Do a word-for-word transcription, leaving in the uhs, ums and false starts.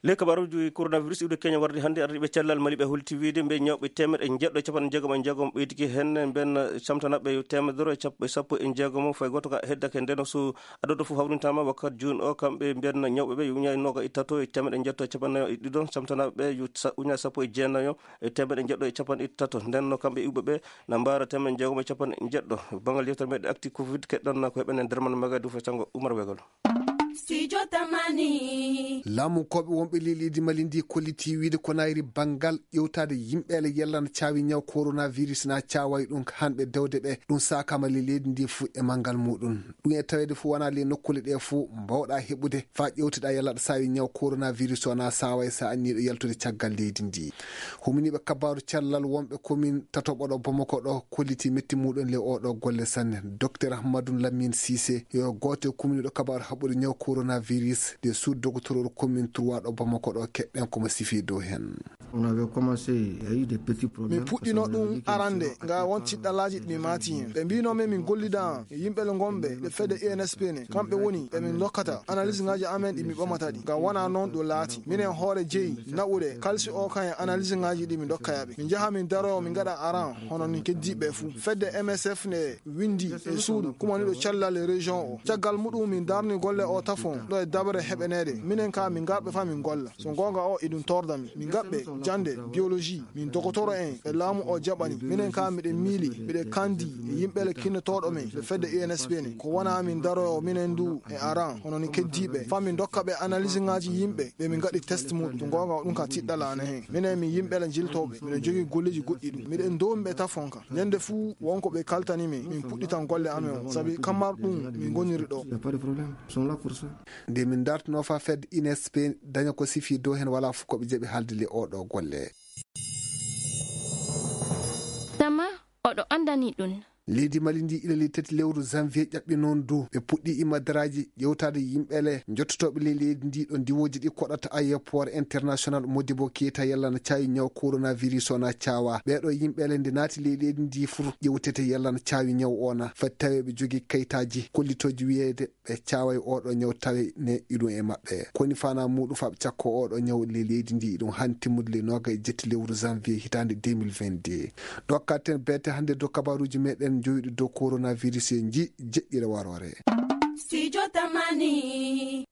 Ley kabaruuji coronavirus iwde Kenya warde hannde, ardiiɓe cellal Mali ɓe holti wiyde mbe ñawɓe teemeɗɗe njeɗɗo e capanɗe jeegom e jeegom ɓeydike heen, ɓeen camtanaaɓe yo teemedere e capanɗe jeegom, fayi gooto ka heddake. Ndeen so adoodo fof hawrintaama wakkat jooni o, kamɓe mbiyan ñawɓe ɓe yo uñaa e nooga e tato e teemeɗɗe njeɗɗo e capanɗe nayo e ɗiɗo, camtanaaɓe ɓe yo sa-, uñaa sappo e jeenayo e teemeɗɗe njeɗɗo e capanɗe tato. Ndeen no kamɓe iwɓe ɓe na mbaara teemeɗɗe jeegom e capanɗe njeɗɗo. Banngal yewtere meɗen actu covid keɗɗon ko heɓen e Derman Maga Diouf e Sanngo Oumar Wegal. Studio Tamani. Laamunkooɓe wonɓe ley leydi Mali ndi kolliti wiyde ko nayri banngal ƴewtaade yimɓe ele yalla na caawi ñaw coronavirus na caaway ɗum hanɓe dewde ɓe. Ɗum saakama ley leydi ndi fuu e manngal muɗum. Ɗum e taweede fuu wonaa ley nokkuule ɗe fuu mbawɗa heɓude faa ƴewteɗa yalla aɗa saawi ñaw coronavirus o na saaway sa anniiɗo yaltude caggal leydi ndi. Huminiiɓe kabaaru cellal wonɓe commune tatoɓo ɗo Bamako ɗo kolliti metti muɗum le oɗo golle sanne. Docteur Ahmadou Lamine Cissé yo gooto e kumniiɗo kabaaru haɓɓude ñaw coronavirus de sous docteur commune trois ɗo Bamako ɗo keɗɗen komo sifi dow heen. On avait commencé, il y a eu des petits problèmes. Min puɗɗino ɗum arande nga won tiɗɗalaaji ɗi min maati heen. Ɓe mbino min min gollida e yimɓe le ngonɓe le fedde I N S P ne, kamɓe woni ɓe min dokkata analyse ngaji amen ɗi min ɓamata ɗi. Nga wona noon ɗo laati. Minen hoore jeyi naɓude kalsi o kan e analyse ngaji ɗi min dokka yaɓe. Min njaha min daroyo min ngaɗa aran hono nin keddiiɓe fuu. Fedde M S F ne windi e suudu kumaniiɗo cellal e région o. Caggal muɗum min darni golle o tafon ɗo e daɓere heɓeneede. Minen ka min ngarɓe fa min golla. So goonga o eɗum torda min. Min ngaɓɓe jande biologie. Min dogotoro en e laamu o jaɓani. Minen ka miɗen miili, miɗen kandi e yimɓe le kinnotooɗo men le fedde I N S P ne. Ko wona min daroyo minen du e aran hono nin keddiiɓe. Fa min dokka ɓe analyse ngaji yimɓe ɓe min ngaɗi test muɗum. So goonga o ɗum ka tiɗɗala ana heen. Minen min yimɓe le jiltooɓe. Miɗen jogii golleji goɗɗi ɗum. Miɗen doomi ɓe tafon ka. Ñande fuu won ko ɓe kaltani min, min puɗɗitan golle amen o. Sabi kamar ɗum min ngoniri ɗo. Il y a pas de problème. Ils sont là pour ça. Nde min dartuno fa fedde I N S P daña ko sifi dow heen wala fof ko ɓe jaɓi haalde le oɗo golle. Tama oɗo andani ɗum. Leydi Mali ndi ila le tati lewru janvier ƴaɓɓi noon du ɓe puɗɗi imadaraaji ƴewtaade yimɓe le njottotooɓe ley leydi ndi ɗo ndiwooji ɗi koɗata aéroport international Modibo Keita yalla na caawi ñaw coronavirus o na caawa. Ɓeeɗo yimɓe le nde naati ley leydi ndi fuu ƴewtete yalla na caawi ñaw o na fati taweeɓe jogii kayitaaji kollitooji wiyeede ɓe caaway oɗo ñaw tawe ne iɗum e maɓɓe. Koni fana muɗum fa ɓe cakko oɗo ñaw le leydi ndi iɗum han timmude le noga e jetti lewru janvier hitande deux mille vingt-deux. Ɗo kalten beete hannde dow kabaruji meɗen jowiɗi dow coronavirus e ji jeɗɗire warore. Studio Tamani.